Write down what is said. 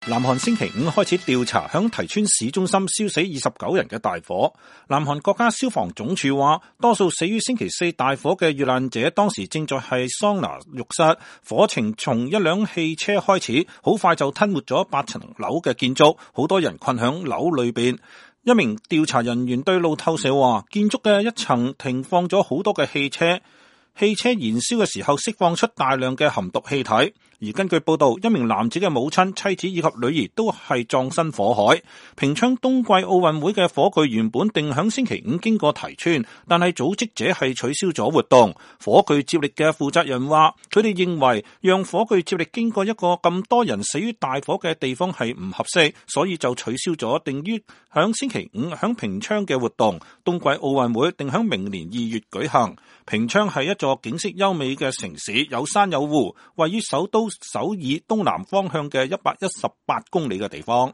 南韓星期五開始調查響提川市中心燒死29人嘅大火。南韓國家消防總署話，多數死於星期四大火嘅遇難者當時正在係桑拿浴室，火情從一輛汽車開始，好快就吞沒咗8層樓嘅建築，好多人困響樓裏邊。一名調查人員對路透社話，建築嘅一層停放咗好多嘅汽車燃燒嘅時候釋放出大量嘅含毒氣體。而根據報道，一名男子嘅母親、妻子以及女兒都係葬身火海。平昌冬季奧運會嘅火炬原本定響星期五經過提川，但係組織者係取消咗活動。火炬接力嘅負責人話，佢哋認為讓火炬接力經過一個咁多人死於大火嘅地方係唔合適，所以就取消咗定於響星期五響平昌嘅活動。冬季奧運會定響明年2月舉行。平昌係一座景色優美嘅城市，有山有湖，位於首都首爾東南方向嘅118公里嘅地方。